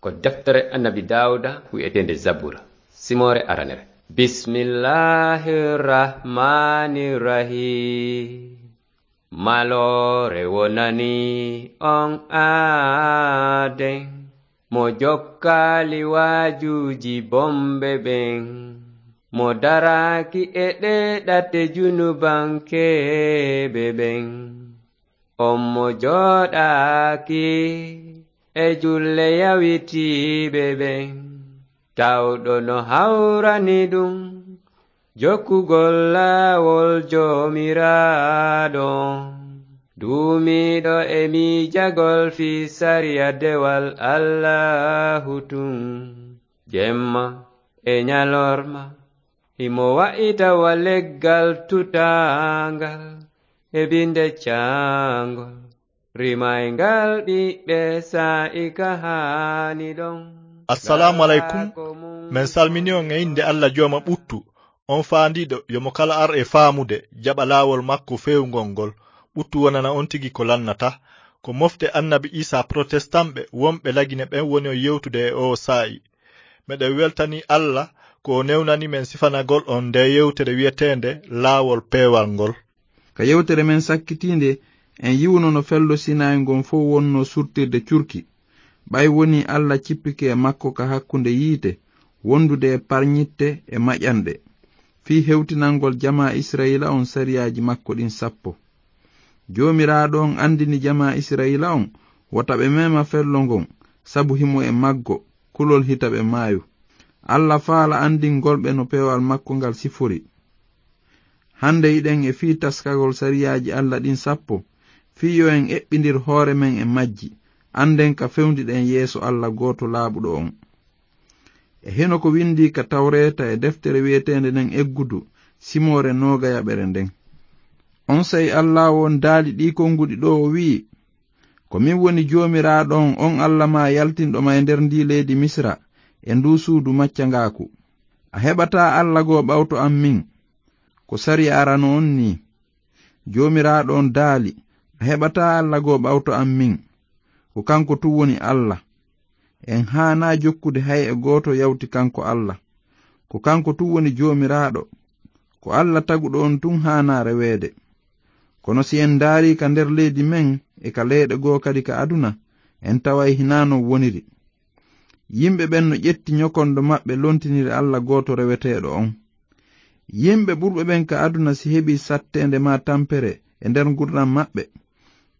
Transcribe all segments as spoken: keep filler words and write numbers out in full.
Ko deftere Annabi Daawuda wi'eteende Zabura, simoore aranere. Bismillahir Rahmanir Rahim. Maloore wonani on aaden, mo jokkaali waajuuji bomɓe ɓen, mo daraaki e ɗee ɗate junubankeeɓe ɓen. On mo jooɗaaki e julle yawitiiɓe ɓen, tawɗo no hawrani ɗum jokkugol laawol Joomiraaɗo. Duumiiɗo e miijagol fii sariya dewal Allaahu tun, jemma e ñalorma, himo wa'ita wa leggal tutaangal e binde caangol, rimayngal ɓiɓɓe saa'i ka haani ɗon. Assalaamu aleykum. Men salmini on e innde Alla Jooma ɓuttu, on faandiiɗo yo mo kala ar e faamude, jaɓa laawol makko feewngol ngol. Ɓuttu wonana on tigi ko lannata. Ko mofte Annabi Iisaa Protestant ɓe wonɓe Lagine ɓen woni on yewtude e oo saa'i. Meɗen weltanii Alla ko o newnani men sifanagol on ndee yewtere wi'eteende Laawol Peewal ngol. Ka yewtere men sakkitiinde, en yi'uno no fello Sinayi ngon fow wonnoo surtirde curki. Ɓay wonii Alla cippike e makko ka hakkunde yiite, wondude e parñitte e maƴanɗe, fii hewtinangol jamaa Isra'iila on sariyaaji makko ɗin sappo. Joomiraaɗo on andini jamaa Isra'iila on wota ɓe mema fello ngon, sabu himo e maggo, kulol hita ɓe maayu. Alla faala andingol ɓe no peewal makko ngal sifori. Hande hiɗen e fii taskagol sariyaaji Alla ɗin sappo, fii yo en eɓɓindir hoore men e majji, anden ka fewndiɗen yeeso Alla gooto laaɓuɗo on. E hino ko windii ka Tawreeta e deftere wi'eteende nden Eggudu, simoore noogayaɓere nden. Onsay Alla on daali ɗii konguɗi ɗoo, o wi'i, "Ko min woni Joomiraaɗo on, on Alla maa yaltinɗo ma e nder ndii leydi Misira, e nduu suudu maccangaaku. A heɓataa Alla goo ɓawto an min. Ko sariya arano on nii." Joomiraaɗo on daali, "A heɓataa Alla goo ɓawto an min. Ko kanko tun woni Alla. En haanaa jokkude hay e gooto yawti kanko Alla. Ko kanko tun woni Joomiraaɗo. Ko Alla taguɗo on tun haanaa reweede. Kono si en ndaarii ka nder leydi men e ka leyɗe goo kadi ka aduna, en taway hinaa non woniri. Yimɓe ɓen no ƴetti ñokondo maɓɓe lontiniri Alla gooto reweteeɗo on. Yimɓe ɓurɓe ɓen ka aduna si heɓii satteende maa tampere e nder ngurndan maɓɓe,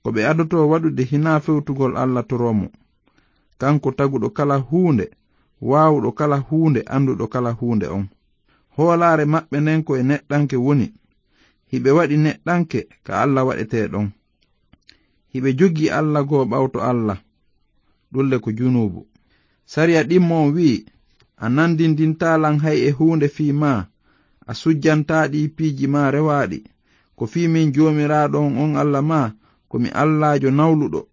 ko ɓe adotoo waɗude hinaa fewtugol Alla toroo mo. Kanko taguɗo kala huunde, waawuɗo kala huunde, anduɗo kala huunde on. Hoolaare maɓɓe nden ko e neɗɗanke woni. Hiɓe waɗi neɗɗanke ka Alla waɗetee ɗon. Hiɓe jogii Alla goo ɓawto Alla. Ɗun le ko junuubu. Sariya ɗimmo on wi'i, 'A nandindintaa lan hay e huunde fii maa, a sujjantaa ɗii piiji maa rewaaɗi. Ko fii min Joomiraaɗo on, on Alla maa, ko mi Allaajo nawluɗo.'"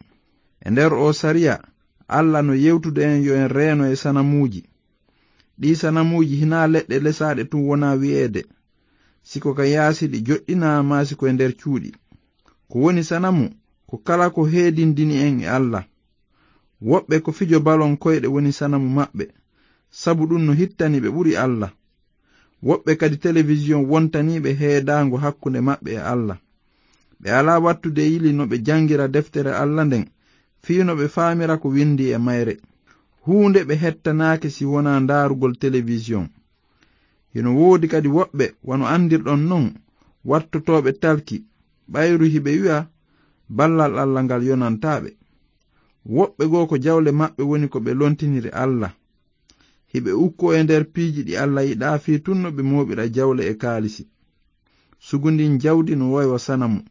E nder oo sariya, Alla no yewtude en yo en reeno e sanamuuji. Ɗii sanamuuji hinaa leɗɗe lesaaɗe tun wonaa wi'eede, si ko ka yaasi ɗi joɗɗinaa maa si ko e nder cuuɗi. Ko woni sanamu, ko kala ko heedindini en e Alla. Woɓɓe ko fijo balon koyɗe woni sanamu maɓɓe, sabu ɗun no hittani ɓe ɓuri Alla. Woɓɓe kadi telewisiyon wontanii ɓe heedaango hakkunde maɓɓe e Alla. Ɓe alaa wattude yili no ɓe jangira deftere Alla nden, fii no ɓe faamira ko windii e mayre. Huunde ɓe hettanaaki si wonaa ndaarugol telewisiyon. Hino woodi kadi woɓɓe, wano andirɗon non, wattotooɓe talki, ɓayru hiɓe wi'a ballal Alla ngal yonantaa ɓe. Woɓɓe goo ko jawle maɓɓe woni ko ɓe lontiniri Alla. Hiɓe ukkoo e nder piiji ɗi Alla yiɗaa fii tun no ɓe mooɓira jawle e kaalisi. Sugundin jawdi no woy wa sanamu.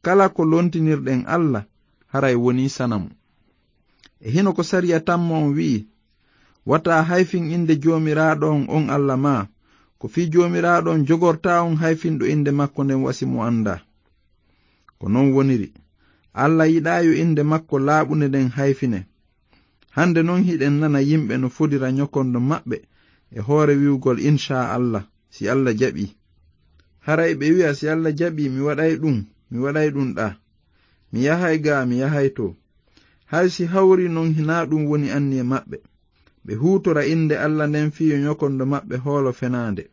Kala ko lontinirɗen Alla, haray wonii sanamu. E hino ko sariya tammo on wi'i, "Wata hayfin innde Joomiraaɗo on, on Alla maa, ko fii Joomiraaɗo on jogortaa on hayfinɗo innde makko nden wa si mo andaa." Ko non woniri. Alla yiɗaa yo innde makko laaɓunde nden hayfine. Hande non hiɗen nana yimɓe no fodira ñokondo maɓɓe e hoore wi'ugol, "Inshaa Alla, si Alla jaɓii." Haray ɓe wi'a, "Si Alla jaɓii, mi waɗay ɗun, mi waɗay ɗun ɗaa. Mi yahay gaa, mi yahay too." Hay si hawri non, hinaa ɗum woni anniye maɓɓe. Ɓe huutora innde Alla nden fii yo ñokondo maɓɓe hoolo fenaande.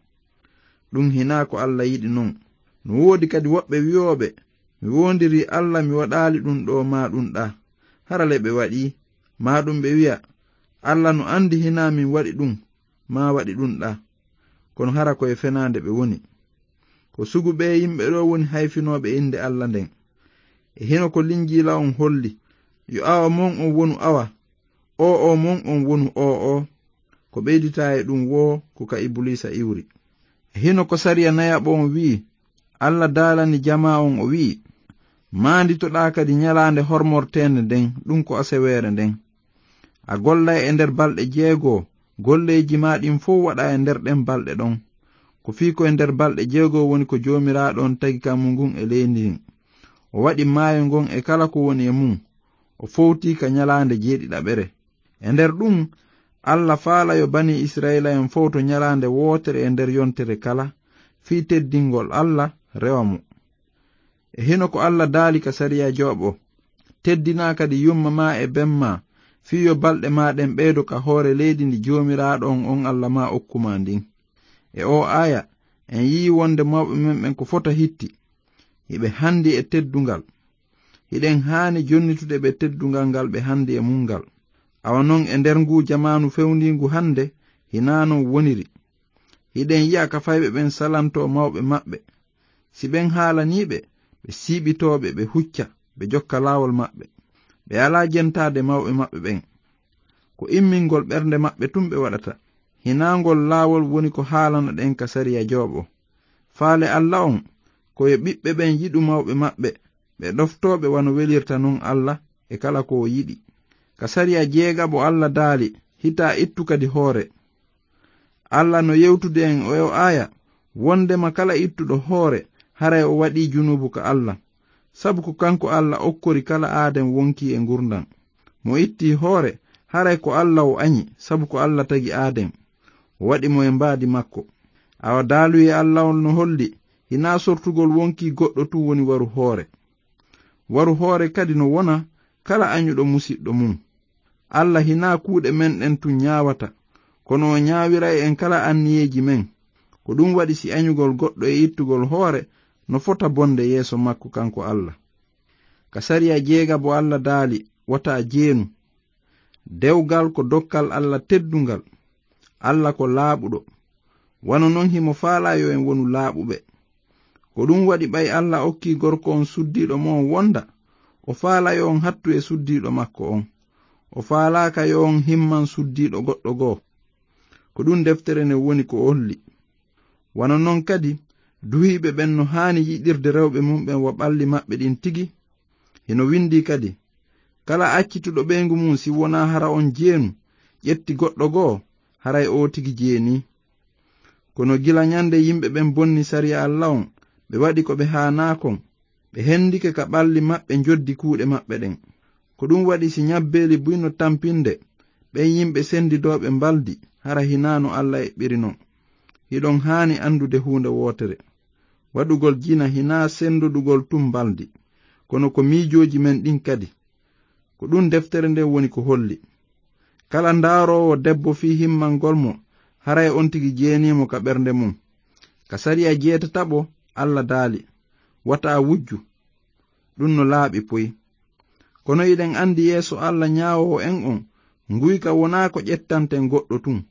Ɗum hinaa ko Alla yiɗi non. No woodi kadi woɓɓe wi'ooɓe, "Mi woondirii Alla, mi waɗaali ɗum ɗoo maa ɗum ɗaa." Hara le ɓe waɗii, maa ɗum ɓe wi'a, "Alla no anndi hinaa min waɗi ɗum maa waɗi ɗum ɗaa." Kono hara ko e fenaande ɓe woni. Ko sugu ɓee yimɓe ɗoo woni hayfinooɓe innde Alla nden. E hino ko Linjiila on holli, "Yo awa mon on wonu awa, oo oo mon on wonu oo oo." Ko ɓeyditaa e ɗum woo ko ka Ibuliisa iwri. E hino ko sariya nayaɓo on wi'i, Alla daalani jamaa on o wi'i, "Maanditoɗaa kadi ñalaande hormorteende nden, ɗum ko aseweere nden. A gollay e nder balɗe jeegoo, golleeji maa ɗin fow waɗaa e nder ɗen balɗe ɗon." Ko fii ko e nder balɗe jeegoo woni ko Joomiraaɗo on tagi kammu ngun e leydi ndin. O waɗi maayo ngon e kala ko woni e mun. O fowtii ka ñalaande jeeɗiɗaɓere. E nder ɗum, Alla faala yo banii Isra'iila'en fowto ñalaande wootere e nder yontere kala, fii teddingol Alla rewa mo. E hino ko Alla daali ka sariya jooɓo, "Teddinaa kadi yumma maa e ben maa, fii yo balɗe maa ɗen ɓeydo ka hoore leydi ndi Joomiraaɗo on, on Alla maa okku maa ndin." E oo aaya, en yi'i wonde mawɓe men ɓen ko fota hitti, hiɓe handi e teddungal. Hiɗen haani jonnitude ɓe teddungal ngal ɓe handi e mun ngal. Awa non e nder nguu jamaanu fewndiingu hande, hinaa non woniri. Hiɗen yi'a ka fayɓe ɓen salantoo mawɓe maɓɓe. Si ɓen haalanii ɓe, ɓe siiɓitoo ɓe, ɓe hucca, ɓe jokka laawol maɓɓe. Ɓe alaa jentaade mawɓe maɓɓe ɓen. Ko immingol ɓernde maɓɓe tun ɓe waɗata. Hinaa ngol laawol woni ko haalana ɗen ka sariya jooɓo. Faale Alla on, ko yo ɓiɓɓe ɓen yiɗu mawɓe maɓɓe, ɓe ɗoftoo ɓe wano welirta non Alla e kala ko o yiɗi. Ka sariya jeegaɓo Alla daali, "Hitaa ittu kadi hoore." Alla no yewtude en e oo aaya, wondema kala ittuɗo hoore, haray o waɗii junuubu ka Alla. Sabu ko kanko Alla okkori kala aaden wonkii e ngurndan. Mo ittii hoore, haray ko Alla o añi, sabu ko Alla tagi aaden. O waɗi mo e mbaadi makko. Awa daaluyee Alla on no holli, hinaa sortugol wonkii goɗɗo tun woni waru hoore. Waru hoore kadi no wona kala añuɗo musiɗɗo mum. Alla hinaa kuuɗe men ɗen tun ñaawata, kono o ñaawiray en kala anniyeeji men. Ko ɗum waɗi si añugol goɗɗo e ittugol hoore no fota bonde yeeso makko kanko Alla. Ka sariya jeegaɓo Alla daali, "Wota jeenu." Dewgal ko dokkal Alla teddungal. Alla ko laaɓuɗo. Wano non himo faalaa yo en wonu laaɓuɓe. Ko ɗum waɗi ɓay Alla okkii gorko on suddiiɗo mo on wonda, o faalaa yo on hattu e suddiiɗo makko on. O faalaaka yo on himman suddiiɗo goɗɗo goo. Ko ɗum deftere nden woni ko holli. Wano non kadi, duhiiɓe ɓen no haani yiɗirde rewɓe mum ɓen wa ɓalli maɓɓe ɗin tigi. Hino windii kadi, "Kala accituɗo ɓeyngu mum, si wonaa hara on jeenu, ƴetti goɗɗo goo, haray oo tigi jeenii." Kono gila ñande yimɓe ɓen bonni sariya Alla on, ɓe waɗi ko ɓe haanaa kon, ɓe hendike ka ɓalli maɓɓe njoddi kuuɗe maɓɓe ɗen. Ko ɗum waɗi si ñabbeeli buy no tampinde, ɓen yimɓe sendidooɓe mbaldi, hara hinaa no Alla eɓɓiri non. Hiɗon haani andude huunde wootere. Waɗugol jina hinaa sendodugol tun mbaldi, kono ko miijooji men ɗin kadi. Ko ɗum deftere nden woni ko holli. Kala ndaaroowo debbo fii himmangol mo, haray on tigi jeenii mo ka ɓernde mum. Ka sariya jeetataɓo, Alla daali, "Wata wujju." Ɗum no laaɓi poy. Kono iɗen andi yeeso Alla ñaawoowo en on, nguyka wonaa ko ƴettanten goɗɗo tun.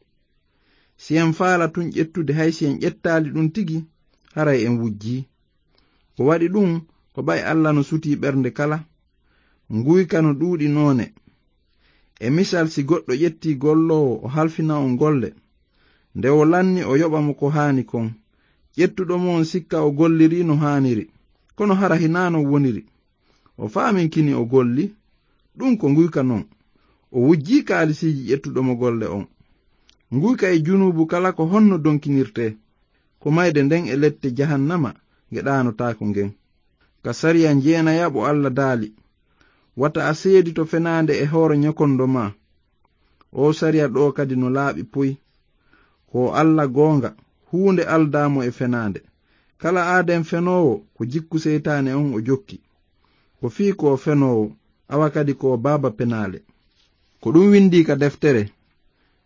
Si en faala tun ƴettude, hay si en ƴettaali ɗum tigi, haray en wujjii. Ko waɗi ɗum, ko ɓay Alla no sutii ɓernde kala. Nguyka no ɗuuɗi noone. E misal, si goɗɗo ƴettii golloowo, o halfina on golle. Nde o lanni, o yoɓa mo ko haani kon. Ƴettuɗo mo on sikka o gollirii no haaniri. Kono hara hinaa non woniri. O faaminkini o golli. Ɗum ko nguyka non. O wujjii kaalisiiji ƴettuɗo mo golle on. Nguyka e junuubu kala ko honno donkinirtee? Ko mayde nden e lette jahannama nge ɗaanotaako ngen. Ka sariya njeenayaɓo Alla daali, "Wata a seedito fenaande e hoore ñokondo maa." Oo sariya ɗoo kadi no laaɓi poy. Ko Alla goonga, huunde aldaa mo e fenaande. Kala aaden fenoowo, ko jikku seytaane on o jokki. Ko fii ko o fenoowo, awa kadi ko o baaba penaale. Ko ɗum windii ka deftere,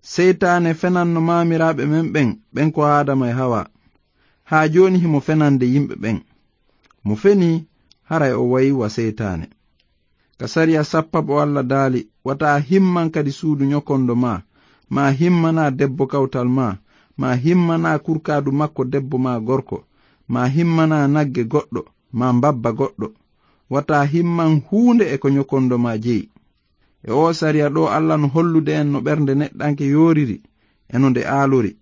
seytaane fenanno maamiraaɓe men ɓen, ɓen ko Aadama e Hawa. Haa jooni himo fenande yimɓe ɓen. Mo fenii, haray o wayi wa seytaane. Ka sariya sappaɓo Alla daali, wata a himman kadi suudu ñokondo maa, maa himmanaa debbo kawtal maa, maa himmanaa kurkaadu makko debbo maa gorko, maa himmanaa nagge goɗɗo, maa mbabba goɗɗo. Wata a himman huunde e ko ñokondo maa jeyi. E oo sariya ɗoo, Alla no hollude en no ɓernde neɗɗanke yooriri e no nde aalori.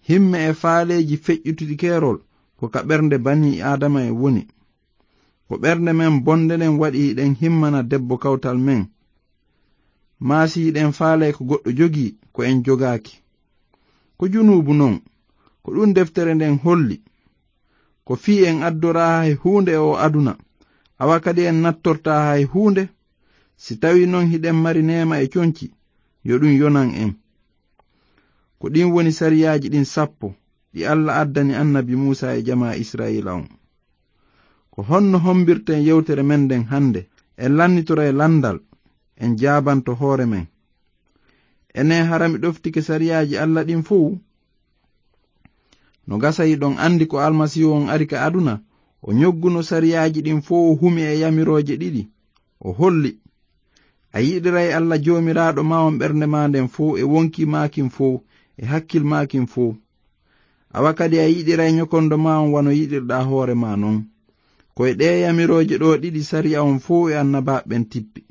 Himme e faaleeji feƴƴutuɗi keerol ko ka ɓernde banii Aadama en woni. Ko ɓernde men bonde nden waɗi hiɗen himmana debbo kawtal men. Maa si hiɗen faalay ko goɗɗo jogii ko en jogaaki. Ko junuubu non, ko ɗum deftere nden holli. Ko fii en addoraa hay huunde e oo aduna, awa kadi en nattortaa hay huunde. Si tawii non hiɗen mari neema e conci, yo ɗum yonan en. Ko ɗin woni sariyaaji ɗin sappo ɗi Alla addani annabi Muusaa e jamaa Israa'iila on. Ko honno hombirten yewtere men nden hannde? En lannitoray lanndal, en jaabanto hoore men. Enen, hara mi ɗoftike sariyaaji Alla ɗin fow? No gasa hiɗon anndi ko Almasiihu on ari ka aduna, o ñogguno sariyaaji ɗin fow, o humi e yamirooje ɗiɗi. O holli, a yiɗiray Alla Joomiraaɗo maa on ɓernde maa nden fow, e wonkii maa kin fow, e hakkil maa kin fow. Awa kadi a yiɗiray ñokondo maa on wano yiɗirɗaa hoore maa non. Ko e ɗee yamirooje ɗoo ɗiɗi sariya on fow e annabaaɓe ɓen tippi.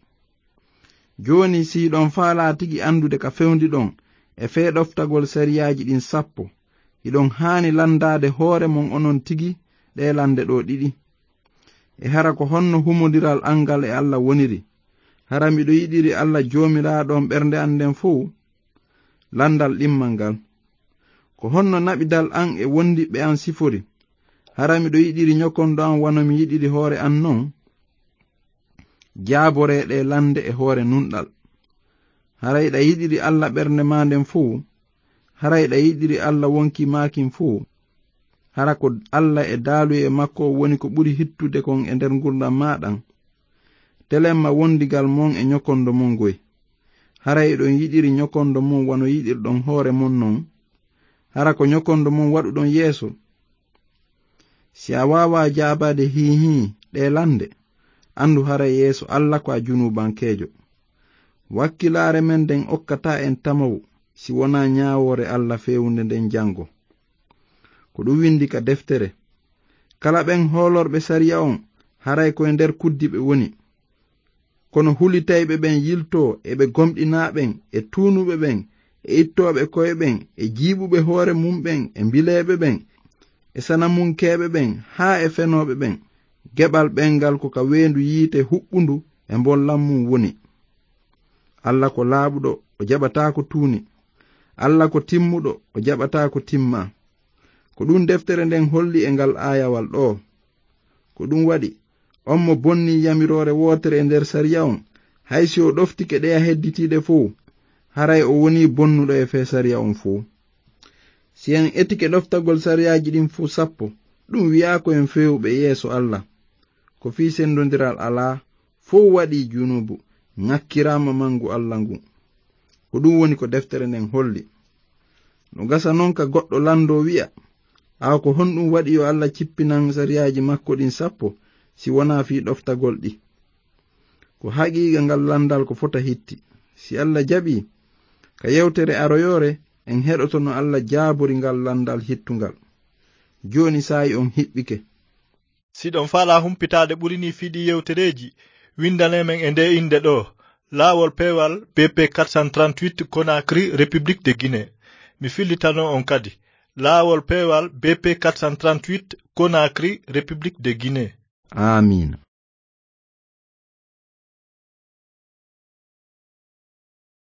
Jooni, si hiɗon faalaa tigi anndude ka fewndiɗon e fee ɗoftagol sariyaaji ɗin sappo, hiɗon haani lanndaade hoore mon onon tigi ɗee lannde ɗoo ɗiɗi. E hara ko honno humondiral an ngal e Alla woniri? Hara miɗo yiɗiri Alla Joomiraaɗo on ɓernde an nden fow? Lanndal ɗimmal ngal. Ko honno naɓidal an e wondiɓɓe an sifori? Hara miɗo yiɗiri ñokondo an wano mi yiɗiri hoore an non? Jaaboree ɗee lannde e hoore nunɗal. Hara hiɗa yiɗiri Alla ɓernde maa nden fow? Hara hiɗa yiɗiri Alla wonkii maa kin fow? Hara ko Alla e daaluye makko woni ko ɓuri hittude kon e nder ngurndan maa ɗan? Telemma wondigal mon e ñokondo mon ngoy. Hara hiɗon yiɗiri ñokondo mon wano yiɗirɗon hoore mon non? Hara ko ñokondo mon waɗuɗon yeeso? Si a waawaa jaabaade hiihii ɗee lannde, anndu haray yeeso Alla ko a junuubankeejo. Wakkilaare men nden okkataa en tamawu si wonaa ñaawoore Alla feewunde nden janngo. Ko ɗum windi ka deftere, kala ɓen hoolorɓe sariya on, haray ko e nder kuddi ɓe woni. Kono hulitayɓe ɓen yiltoo e ɓe gomɗinaa ɓen, e tuunuɓe ɓen, e ittooɓe ko'e ɓen, e jiiɓuɓe hoore mum ɓen, e mbileeɓe ɓen, e sanamunkeeɓe ɓen, haa e fenooɓe ɓen. Geɓal ɓen ngal ko ka weendu yiite huɓɓundu e mbollan mum woni. Alla ko laaɓuɗo, o jaɓataa ko tuuni. Alla ko timmuɗo, o jaɓataa ko timmaa. Ko ɗum deftere nden holli e ngal aayawal ɗoo. Ko ɗum waɗi, on mo bonnii yamiroore wootere e nder sariya on, hay si o ɗoftike ɗeya hedditiiɗe fow, haray o wonii bonnuɗo e fee sariya on fow. Si en etike ɗoftagol sariyaaji ɗin fow sappo, ɗum wi'aa ko en feewuɓe yeeso Alla. Ko fii sendondiral alaa, fow waɗii junuubu, ŋakkiraama mangu Alla ngun. Ko ɗum woni ko deftere nden holli. No gasa non ka goɗɗo lanndoo wi'a, awa ko honɗum waɗi yo Alla cippinan sariyaaji makko ɗin sappo si wonaa fii ɗoftagol ɗi? Ko haqiiqa ngal lanndal ko fota hitti. Si Alla jaɓii, ka yewtere aroyoore, en heɗoto no Alla jaabori ngal lanndal hittungal. Jooni saa'i on hiɓɓike. Si ɗon faalaa humpitaade ɓuri nii fii ɗii yewtereeji, windanee men e ndee innde ɗoo, Laawol Peewal B P quatre cent trente-huit, Conakry, République de Guinée. Mi fillitanoo on kadi, Laawol Peewal B P quatre cent trente-huit, Conakry, République de Guinée. Aamiina.